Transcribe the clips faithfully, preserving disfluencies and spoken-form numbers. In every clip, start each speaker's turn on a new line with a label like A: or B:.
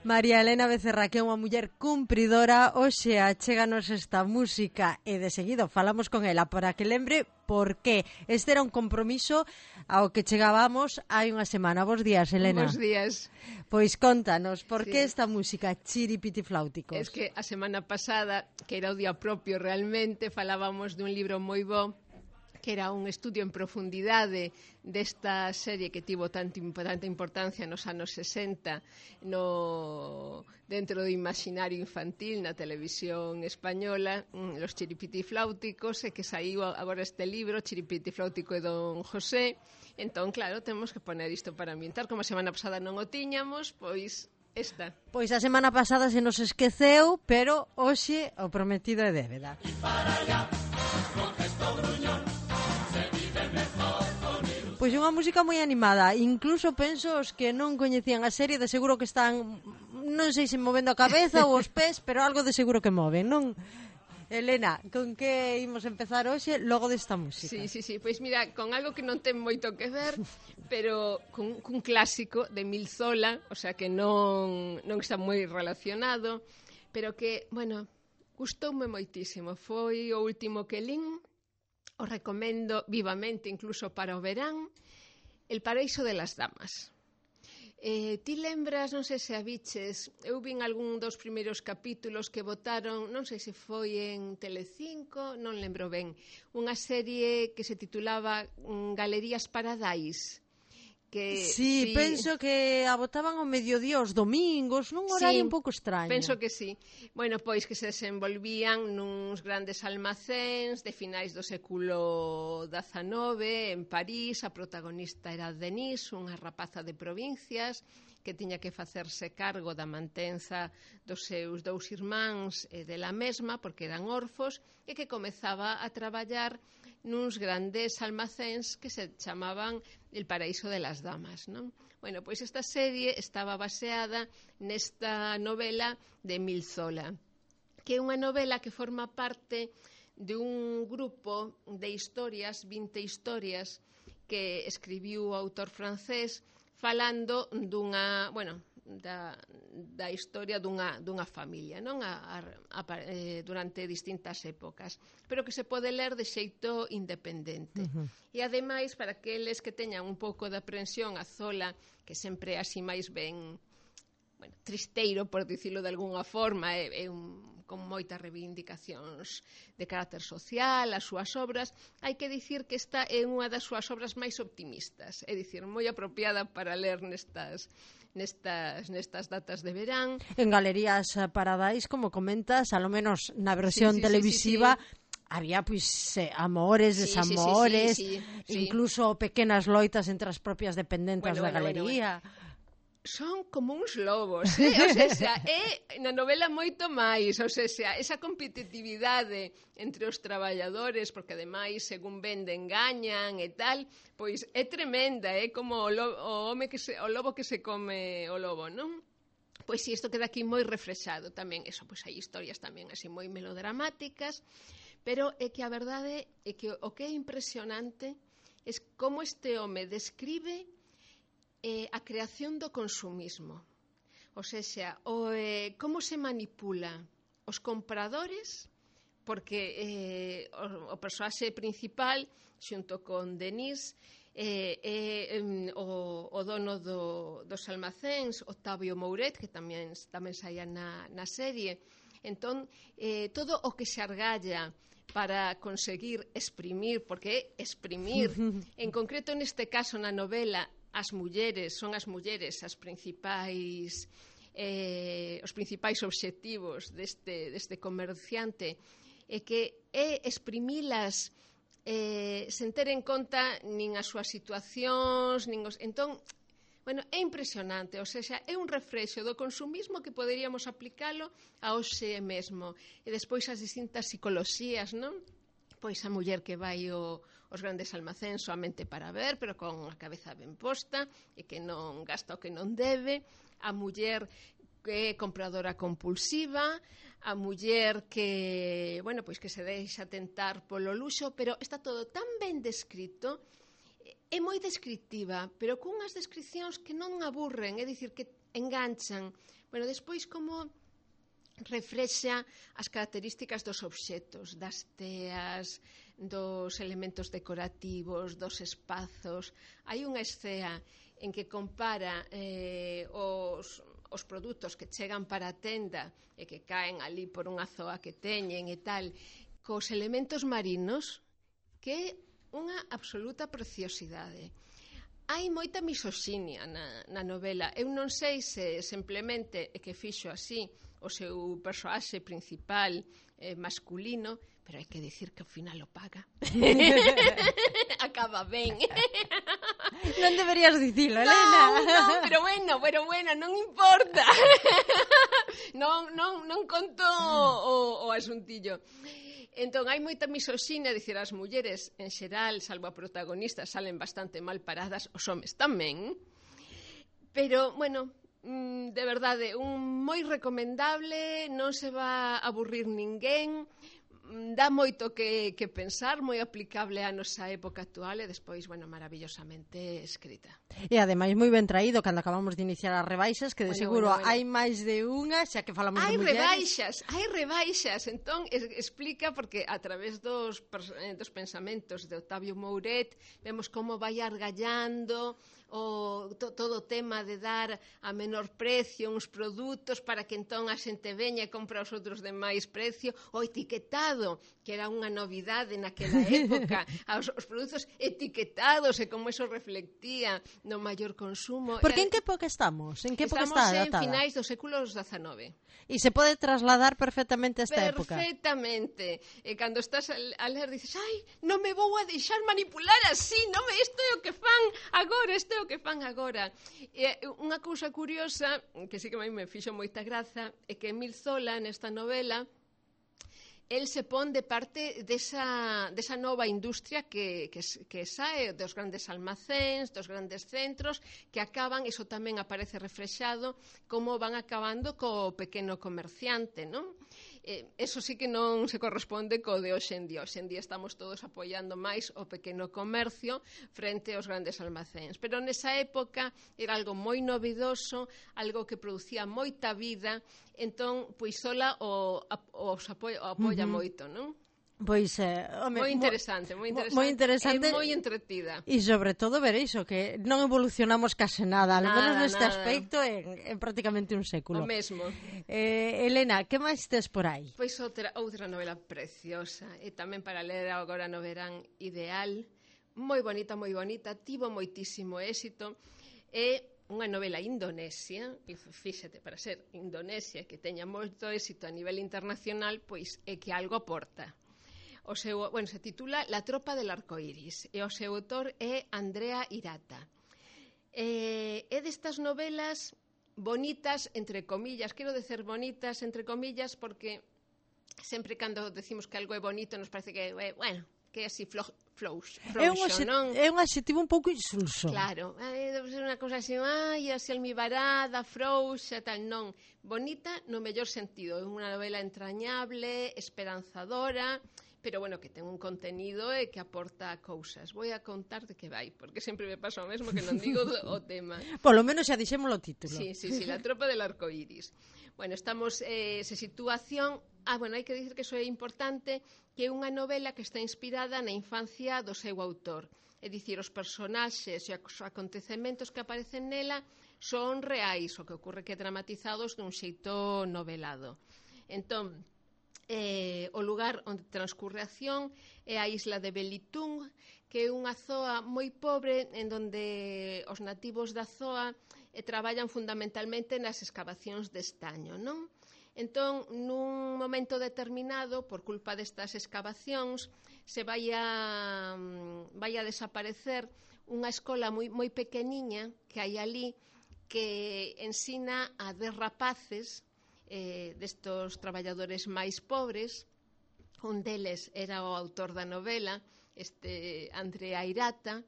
A: María Elena Becerra, que é unha muller cumpridora, hoxe achéganos esta música e de seguido falamos con ela para que lembre por qué. Este era un compromiso ao que chegábamos hai unha semana. Bos días, Elena.
B: Bos días.
A: Pois contanos, por
B: sí.
A: que esta música Chiripitifláuticos?
B: Es que a semana pasada, que era o día propio realmente, falábamos dun libro moi bo, que era un estudio en profundidade desta serie que tivo tanta, tanta importancia nos anos sesenta no, dentro do imaginario infantil na televisión española, Los Chiripitifláuticos, e que saiu agora este libro, Chiripitifláutico e Don José. Entón, claro, temos que poner isto para ambientar. Como a semana pasada non o tiñamos, pois esta.
A: Pois a semana pasada se nos esqueceu, pero hoxe o prometido é débeda. E para allá, con gesto gruñón. Pois unha música moi animada, incluso penso os que non coñecían a serie de seguro que están, non sei se movendo a cabeza ou os pés, pero algo de seguro que moven, non? Elena, con que imos empezar hoxe logo desta música?
B: Sí, sí, sí, pois mira, con algo que non ten moito que ver, pero cun, cun clásico de Emil Zola, o sea que non, non está moi relacionado, pero que, bueno, gustoume moitísimo, foi o último que lín. Os recomendo vivamente, incluso para o verán, El paraíso de las damas. Eh, ti lembras, non sei se a biches, eu vin algún dos primeiros capítulos que botaron, non sei se foi en Telecinco, non lembro ben, unha serie que se titulaba Galerías Paradise. Que,
A: sí, sí, penso que a botaban ao mediodía os domingos, nun horario sí, un pouco extraño.
B: Penso que sí. Bueno, pois que se desenvolvían nuns grandes almacéns de finais do século dezanove en París. A protagonista era Denise, unha rapaza de provincias que tiña que facerse cargo da mantenza dos seus dous irmáns e dela mesma, porque eran orfos, e que comezaba a traballar nuns grandes almacéns que se chamaban El paraíso de las damas, non? Bueno, pois esta serie estaba baseada nesta novela de Emil Zola, que é unha novela que forma parte de un grupo de historias, vinte historias, que escribiu o autor francés falando dunha, bueno, da, da historia dunha, dunha familia, non? A, a, a, eh, durante distintas épocas, pero que se pode ler de xeito independente. Uh-huh. E ademais, para aqueles que teñan un pouco de aprensión a Zola, que sempre é así máis ben, bueno, tristeiro, por dicilo de algunha forma, é, é un con moitas reivindicacións de carácter social, as súas obras, hai que dicir que esta é unha das súas obras máis optimistas, é dicir, moi apropiada para ler nestas nestas nestas datas de verán.
A: En Galerías Paradise, como comentas, a lo menos na versión
B: sí, sí,
A: televisiva,
B: sí, sí.
A: había pois eh, amores,
B: sí,
A: desamores,
B: sí, sí, sí, sí.
A: incluso pequenas loitas entre as propias dependentas
B: bueno,
A: da
B: bueno,
A: galería.
B: Bueno, bueno. Son como uns lobos, eh? O sea, é na novela moito máis, o sea, esa competitividade entre os traballadores, porque ademais, según venden, gañan e tal, pois é tremenda, é eh? como o, lobo, o home que se, o lobo que se come o lobo, non? Pois si, isto queda aquí moi reflexado tamén, eso, pois hai historias tamén así moi melodramáticas, pero é que a verdade é que o que é impresionante é como este home describe Eh, a creación do consumismo, o sea, o, eh, como se manipula os compradores, porque eh, o, o personaxe principal, xunto con Denise, eh, eh, eh, o, o dono do, dos almacéns, Octavio Mouret, que tamén, tamén saía na, na serie, entón, eh, todo o que se argalla para conseguir exprimir, porque é exprimir, en concreto neste caso na novela, as mulleres, son as mulleres as principais eh, os principais obxectivos deste, deste comerciante, e que é exprimilas eh, sen ter en conta nin as súas situacións, nin os... Entón, bueno, é impresionante, ou seja, é un refrexo do consumismo que poderíamos aplicalo a hoxe mesmo. E despois as distintas psicoloxías, non? Pois a muller que vai o, os grandes almacéns soamente para ver, pero con a cabeza ben posta e que non gasta o que non debe, a muller que é compradora compulsiva, a muller que, bueno, pois que se deixa tentar polo luxo, pero está todo tan ben descrito, é moi descriptiva, pero cunhas descripcións que non aburren, é dicir, que enganchan, Bueno, despois como reflexa as características dos obxetos, das teas, dos elementos decorativos, dos espazos. Hai unha escena en que compara eh, os, os produtos que chegan para a tenda e que caen ali por unha zoa que teñen e tal, cos elementos marinos, que é unha absoluta preciosidade. Hai moita misoxinia na, na novela. Eu non sei se simplemente é que fixo así o seu persoaxe principal eh, masculino, pero hai que dicir que ao final o paga. Acaba ben.
A: Non deberías dicilo, Elena.
B: Non, non, pero bueno, pero bueno, non importa. non, non, non conto o, o asuntillo. Entón, hai moita misoxinia, dicir, as mulleres, en xeral, salvo a protagonista, salen bastante mal paradas, os homes tamén. Pero, bueno, de verdade, un moi recomendable, non se va a aburrir ninguén, dá moito que, que pensar, moi aplicable á nosa época actual e despois, bueno, maravillosamente escrita.
A: E ademais moi ben traído cando acabamos de iniciar as rebaixas, que de
B: bueno,
A: seguro
B: bueno, bueno.
A: hai máis de unha, xa que falamos
B: hai
A: de mulleres.
B: Hai rebaixas, hai rebaixas, entón es, explica porque a través dos, dos pensamentos de Octavio Mouret vemos como vai argallando o to, todo o tema de dar a menor precio uns produtos para que entón a xente veña e compra os outros de máis precio, o etiquetado, que era unha novidade naquela época, os, os produtos etiquetados e como eso reflectía no maior consumo.
A: Porque en que época estamos? En que época
B: estamos
A: está
B: en
A: datada?
B: finais do século dezanove.
A: E se pode trasladar perfectamente a esta época.
B: Perfectamente. E cando estás a ler dices, ai, non me vou a deixar manipular así, non me, isto é o que fan agora, isto é o que fan agora. E unha cousa curiosa, que sí que a mí me fixo moita graza, é que Emil Zola, nesta novela, el se pon de parte desa, desa nova industria que, que, que sae dos grandes almacéns, dos grandes centros, que acaban, iso tamén aparece reflexado, como van acabando co pequeno comerciante, non? Eh, eso sí que non se corresponde co de hoxe en día. Hoxe en día estamos todos apoiando máis o pequeno comercio frente aos grandes almacéns. Pero nesa época era algo moi novidoso, algo que producía moita vida, entón, pois sola o, o, os apoia, o apoia uh-huh. moito, non?
A: Pois, eh, home,
B: moi interesante, moi interesante,
A: moi interesante
B: e moi entretida.
A: E sobre todo ver iso, que non evolucionamos case nada, al menos neste aspecto en, en prácticamente un século.
B: O mesmo.
A: Eh, Elena, que máis tes por aí?
B: Pois outra, outra novela preciosa, e tamén para ler agora no verán ideal, moi bonita, moi bonita, tivo moitísimo éxito, e unha novela indonesia, e fíxate, para ser Indonesia, que teña moito éxito a nivel internacional, pois é que algo aporta. O seu, bueno, se titula La tropa del arcoíris e o seu autor é Andrea Hirata. Eh, é destas novelas bonitas, entre comillas, quero dizer bonitas, entre comillas, porque sempre cando decimos que algo é bonito nos parece que, eh, bueno, que é así flojo, Floux,
A: é, un
B: non?
A: é un adxetivo un pouco insulso.
B: Claro, debe ser unha cousa así, ai, así almibarada, frouxa, tal, non. Bonita no mellor sentido, é unha novela entrañable, esperanzadora, pero bueno, que ten un contenido e que aporta cousas. Vou a contar de que vai, porque sempre me pasa o mesmo que non digo o tema.
A: Polo menos xa dixemos o título.
B: Sí, sí, sí, La tropa del arcoíris. Bueno, estamos, eh, se situación... Ah, bueno, hai que dicir que iso é importante, que é unha novela que está inspirada na infancia do seu autor. É dicir, os personaxes e os acontecementos que aparecen nela son reais, o que ocorre que dramatizados dun xeito novelado. Entón, eh, o lugar onde transcurre a acción é a isla de Belitung, que é unha zoa moi pobre en donde os nativos da zoa eh, traballan fundamentalmente nas excavacións de estaño, non? Entón, nun momento determinado, por culpa destas excavacións, se vai a, vai a desaparecer unha escola moi, moi pequeniña que hai ali que ensina a dez rapaces eh, destos traballadores máis pobres. Un deles era o autor da novela, este Andrea Hirata,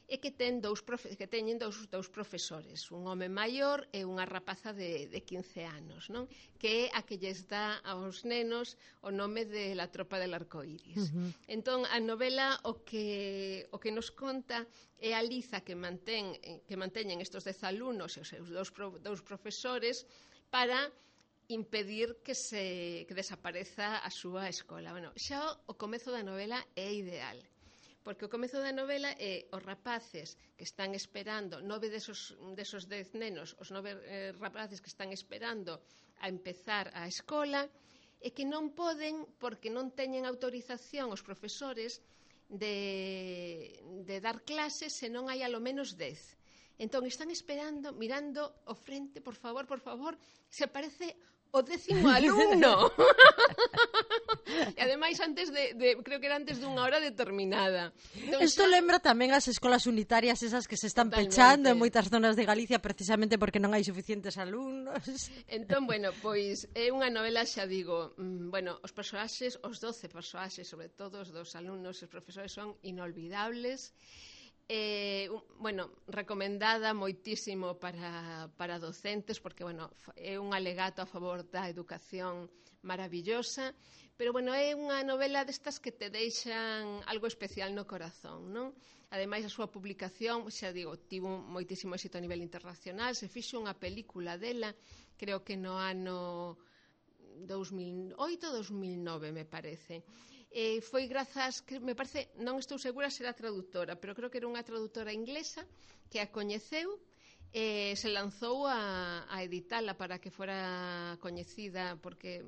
B: e que ten dous profe- que teñen dous, dous profesores, un home maior e unha rapaza de, de quince anos, non? Que é a que lles dá aos nenos o nome de La tropa del arcoíris. Uh-huh. Entón, a novela o que, o que nos conta é a liza que mantén que manteñen estos dez alumnos e os seus dous, pro, dous profesores para impedir que se que desapareza a súa escola. Bueno, xa o comezo da novela é ideal, porque o comezo da novela é os rapaces que están esperando, nove desos, desos dez nenos, os nove eh, rapaces que están esperando a empezar a escola, e que non poden, porque non teñen autorización os profesores de, de dar clases se non hai alo menos dez. Entón, están esperando, mirando o frente, por favor, por favor, se aparece o décimo alumno. E ademais antes de, de creo que era antes dunha hora determinada.
A: Entón, isto xa... lembra tamén as escolas unitarias esas que se están totalmente pechando en moitas zonas de Galicia precisamente porque non hai suficientes alumnos.
B: Entón, bueno, pois é unha novela, xa digo, mmm, bueno, os personaxes, os doce personaxes, sobre todo os dos alumnos e os profesores son inolvidables. Eh, bueno, recomendada moitísimo para, para docentes porque, bueno, é un alegato a favor da educación maravillosa, pero, bueno, é unha novela destas que te deixan algo especial no corazón, non? Ademais, a súa publicación, xa digo, tivo moitísimo éxito a nivel internacional, se fixo unha película dela, creo que no ano dous mil oito ou dous mil nove, me parece. Eh, foi grazas, que me parece, non estou segura se era traductora, pero creo que era unha traductora inglesa que a coñeceu e eh, se lanzou a, a editala para que fora coñecida porque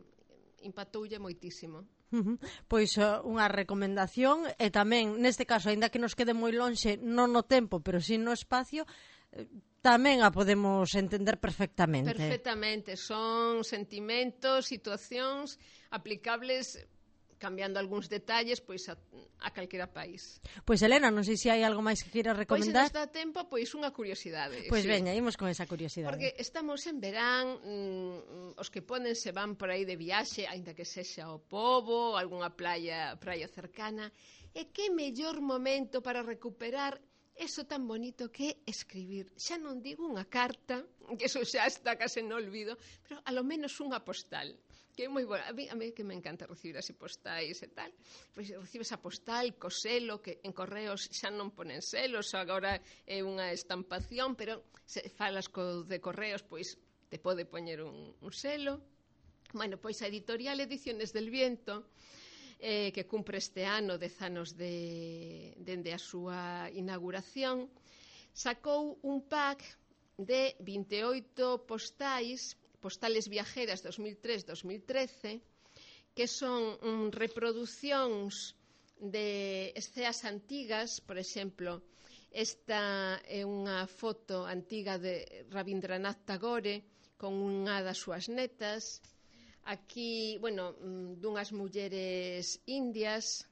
B: impactoulle moitísimo.
A: Uh-huh. Pois uh, unha recomendación e tamén, neste caso, aínda que nos quede moi lonxe, non no tempo, pero si no espacio, eh, tamén a podemos entender perfectamente.
B: Perfectamente, son sentimentos, situacións aplicables cambiando algúns detalles pois a, a calquera país.
A: Pois Elena, non sei se hai algo máis que queiras recomendar.
B: Pois se nos dá tempo, pois unha curiosidade.
A: Pois
B: sí.
A: veña, imos con esa curiosidade.
B: Porque estamos en verán, mmm, os que poden se van por aí de viaxe, aínda que sexa o Pobo, algunha playa, praia cercana, e que mellor momento para recuperar eso tan bonito que é escribir. Xa non digo unha carta, que eso xa está case no olvido, pero a lo menos unha postal. Que é moi boa. A mí, a mí que me encanta recibir así postais e tal. Pois recibes a postal co selo, que en correos xa non ponen selos, agora é unha estampación, pero se falas co de correos, pois te pode poñer un, un selo. Bueno, pois a editorial Ediciones del Viento, eh, que cumpre este ano dez anos de, dende a súa inauguración, sacou un pack de vinte e oito postais, postales viajeras dos mil tres a dos mil trece, que son um, reproducións de escenas antigas. Por exemplo, esta é unha foto antiga de Rabindranath Tagore con unha das súas netas. Aquí, bueno, dunhas mulleres indias,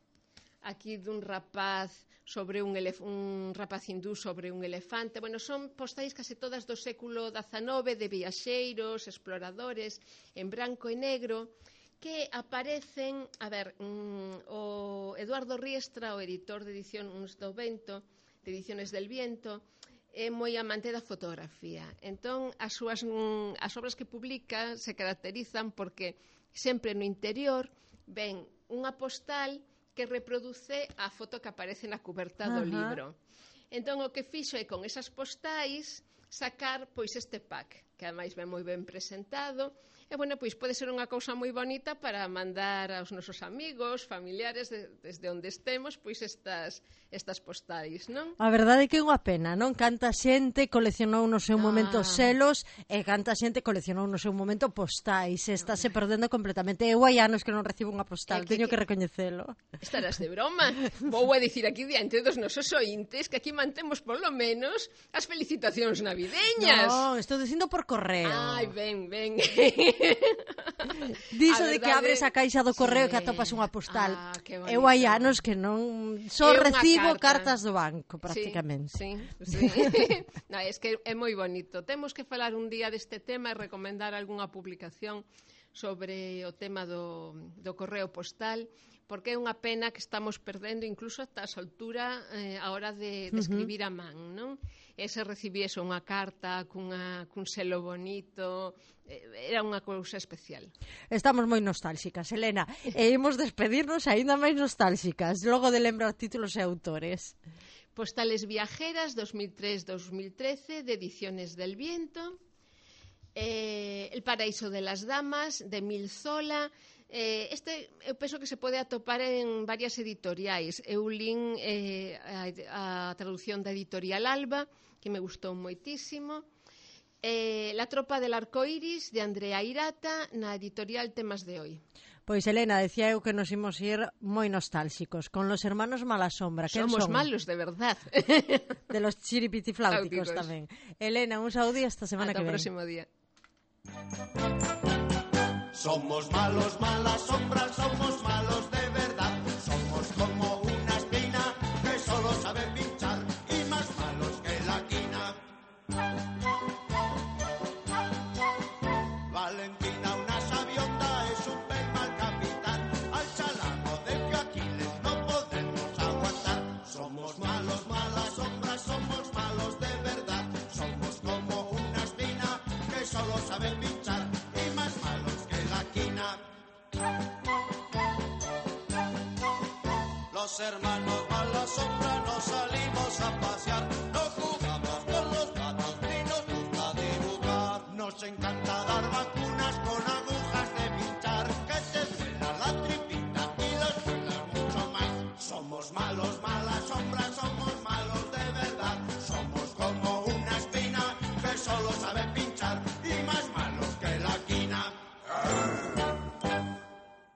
B: aquí dun rapaz sobre un, elef- un rapaz hindú sobre un elefante. Bueno, son postais case todas do século dezanove, de viaxeiros, exploradores, en branco e negro, que aparecen, a ver, mm, o Eduardo Riestra, o editor de Edicións do Vento, de Ediciones del Viento, é moi amante da fotografía. Entón, as súas mm, as obras que publica se caracterizan porque sempre no interior ven unha postal que reproduce a foto que aparece na cuberta do
A: Ajá.
B: libro. Entón, o que fixo é con esas postais sacar pois este pack, que ademais ven moi ben presentado. E, bueno, pois pode ser unha cousa moi bonita para mandar aos nosos amigos, familiares, de, desde onde estemos, pois estas, estas postais, non?
A: A verdade é que é unha pena, non? Canta xente coleccionou no seu momento
B: Ah.
A: selos e canta xente coleccionou no seu momento postais. Estáse perdendo completamente. Eu hai anos que non recibo unha postal,
B: É que-
A: teño que
B: que-
A: recoñecelo.
B: Estarás de broma. Vou a dicir aquí diante dos nosos ointes que aquí mantemos polo menos as felicitacións navideñas.
A: Non, estou dicindo por correo.
B: Ai, ben, ben.
A: Diso
B: A
A: de que
B: verdade-
A: abres a caixa do correo
B: Sí.
A: e que atopas unha postal.
B: Ah, que
A: Eu hai
B: bonito.
A: anos que non só
B: É unha
A: recibo
B: carta.
A: cartas do banco, prácticamente.
B: Sí, sí, sí. No, es que é moi bonito. Temos que falar un día deste tema e recomendar algunha publicación sobre o tema do, do correo postal, porque é unha pena que estamos perdendo incluso ata a soltura eh, a hora de, de escribir a man, non? E se recibiese unha carta cunha, cun selo bonito, eh, era unha cousa especial.
A: Estamos moi nostálxicas, Elena, e imos despedirnos aínda máis nostálxicas, logo de lembrar títulos e autores.
B: Postales viajeras dos mil tres a dos mil trece de Ediciones del Viento. eh, El paraíso de las damas, de Emil Zola. Eh, este eu penso que se pode atopar en varias editoriais. Eu lin eh, a, a traducción da editorial Alba, que me gustou moitísimo. Eh, La tropa del arcoiris, de Andrea Hirata, na editorial Temas de Hoy.
A: Pois, Elena, decía eu que nos imos ir moi nostálxicos, con los hermanos Malasombra.
B: Somos
A: son?
B: malos, de verdad.
A: De los chiripitifláuticos tamén. Elena, un saúdo e hasta semana
B: Ata
A: que ven.
B: o próximo día.
C: Somos malos, malas sombras, somos malos de verdad. Somos como una espina que solo sabe pinchar y más malos que la quina. Valentina, una sabionda, es un pez mal capitán. Al chalaco del que Aquiles no podemos aguantar. Somos malos, malas sombras, somos malos de verdad. Somos como una espina que solo sabe pinchar y más malos que la quina. Los hermanos mala sombra nos salimos a pasear. No jugamos con los gatos ni nos gusta dibujar. Nos encanta dar vacunas con agujas de pinchar. Que te duela la tripita y las duela mucho más. Somos malos, malas sombras, somos malos de